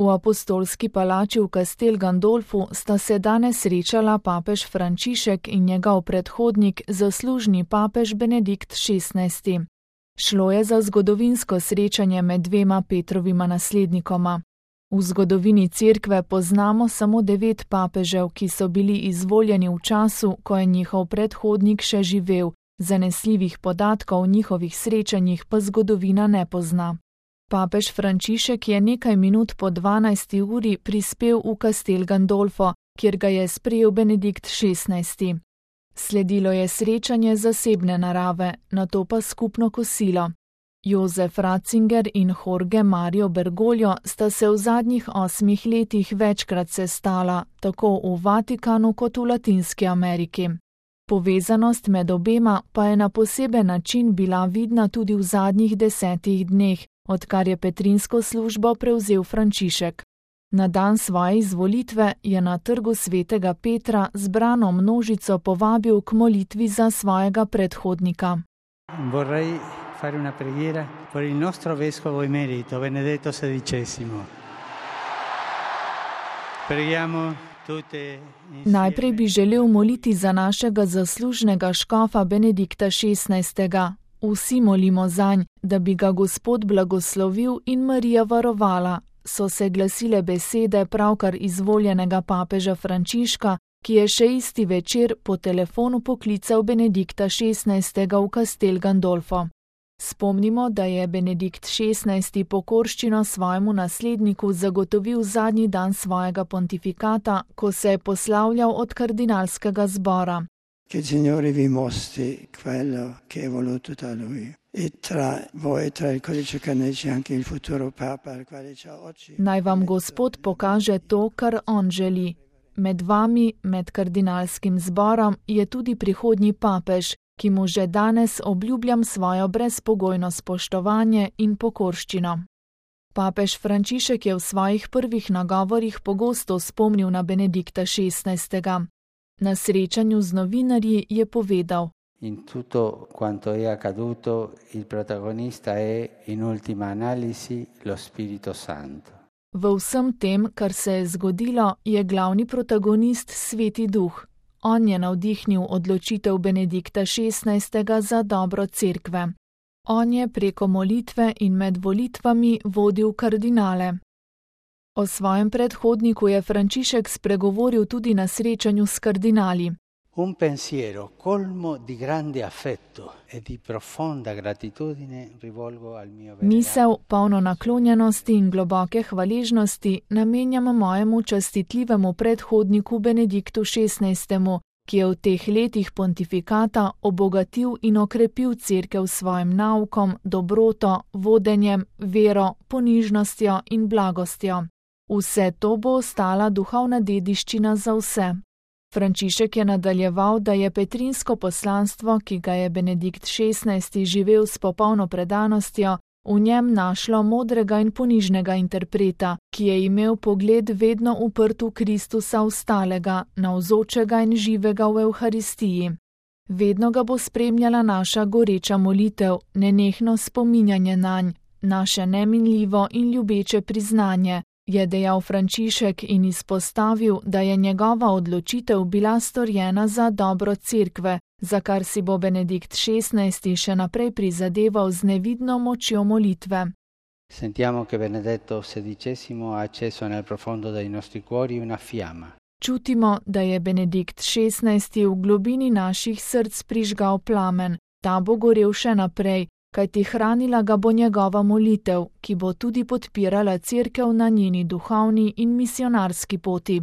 V apostolski palači v Castel Gandolfu sta se danes srečala papež Frančišek in njegov predhodnik, zaslužni papež Benedikt XVI. Šlo je za zgodovinsko srečanje med dvema Petrovima naslednikoma. V zgodovini Cerkve poznamo samo 9 papežev, ki so bili izvoljeni v času, ko je njihov predhodnik še živel, zanesljivih podatkov o njihovih srečanjih pa zgodovina ne pozna. Papež Frančišek je nekaj minut po 12. uri prispel v Castel Gandolfo, kjer ga je sprejel Benedikt XVI. Sledilo je srečanje zasebne narave, nato pa skupno kosilo. Jozef Ratzinger in Jorge Mario Bergoglio sta se v zadnjih 8 letih večkrat sestala, tako v Vatikanu kot v Latinski Ameriki. Povezanost med obema pa je na poseben način bila vidna tudi v zadnjih 10 dneh, odkar je petrinsko službo prevzel Frančišek. Na dan svoje izvolitve je na trgu svetega Petra zbrano množico povabil k molitvi za svojega predhodnika. Vorrei fare una preghiera per il nostro vescovo emerito Benedetto XVI. Preghiamo tutte insieme. Najprej bi želel moliti za našega zaslužnega škofa Benedikta XVI. Vsi molimo zanj, da bi ga Gospod blagoslovil in Marija varovala, so se glasile besede pravkar izvoljenega papeža Frančiška, ki je še isti večer po telefonu poklical Benedikta XVI. V Castel Gandolfo. Spomnimo, da je Benedikt XVI. Pokorščino svojemu nasledniku zagotovil zadnji dan svojega pontifikata, ko se je poslavljal od kardinalskega zbora. Che il Signore vi mostri quello che è voluto da Lui. E tra voi, tra il codice canonico, anche il futuro Papa, al quale c'è oggi. Naj vam Gospod pokaže to, kar on želi. Med vami, med kardinalskim zborom, je tudi prihodnji papež, ki mu že danes obljubljam svojo brezpogojno spoštovanje in pokorščino. Papež Frančišek je v svojih prvih nagovorih pogosto spomnil na Benedikta XVI. Na srečanju z novinarji je povedal: In tutto quanto è accaduto, il protagonista è in ultima analisi lo Spirito Santo. V vsem tem, kar se je zgodilo, je glavni protagonist Sveti Duh. On je navdihnil odločitev Benedikta XVI. Za dobro Cerkve. On je preko molitve in med volitvami vodil kardinale. O svojem predhodniku je Frančišek spregovoril tudi na srečanju s kardinali. Un pensiero colmo di grande affetto e di profonda gratitudine rivolgo al mio venerato. Misel, polno naklonjenosti in globoke hvaležnosti, namenjam mojemu častitljivemu predhodniku Benediktu XVI., ki je v teh letih pontifikata obogatil in okrepil Cerkev s svojim naukom, dobroto, vodenjem, vero, ponižnostjo in blagostjo. Vse to bo ostala duhovna dediščina za vse. Frančišek je nadaljeval, da je petrinsko poslanstvo, ki ga je Benedikt XVI. Živel s popolno predanostjo, v njem našlo modrega in ponižnega interpreta, ki je imel pogled vedno uprt v Kristusa ostalega, navzočega in živega v Evharistiji. Vedno ga bo spremljala naša goreča molitev, nenehno spominjanje nanj, naše neminljivo in ljubeče priznanje, je dejal Frančišek in izpostavil, da je njegova odločitev bila storjena za dobro Cerkve, za kar si bo Benedikt XVI. Še naprej prizadeval z nevidno močjo molitve. Sentiamo che Benedetto XVI. Ha acceso nel profondo dei nostri cuori una fiamma. Čutimo, da je Benedikt XVI. V globini naših src prižgal plamen, ta bo gorel še naprej, kajti hranila ga bo njegova molitev, ki bo tudi podpirala Cerkev na njeni duhovni in misionarski poti.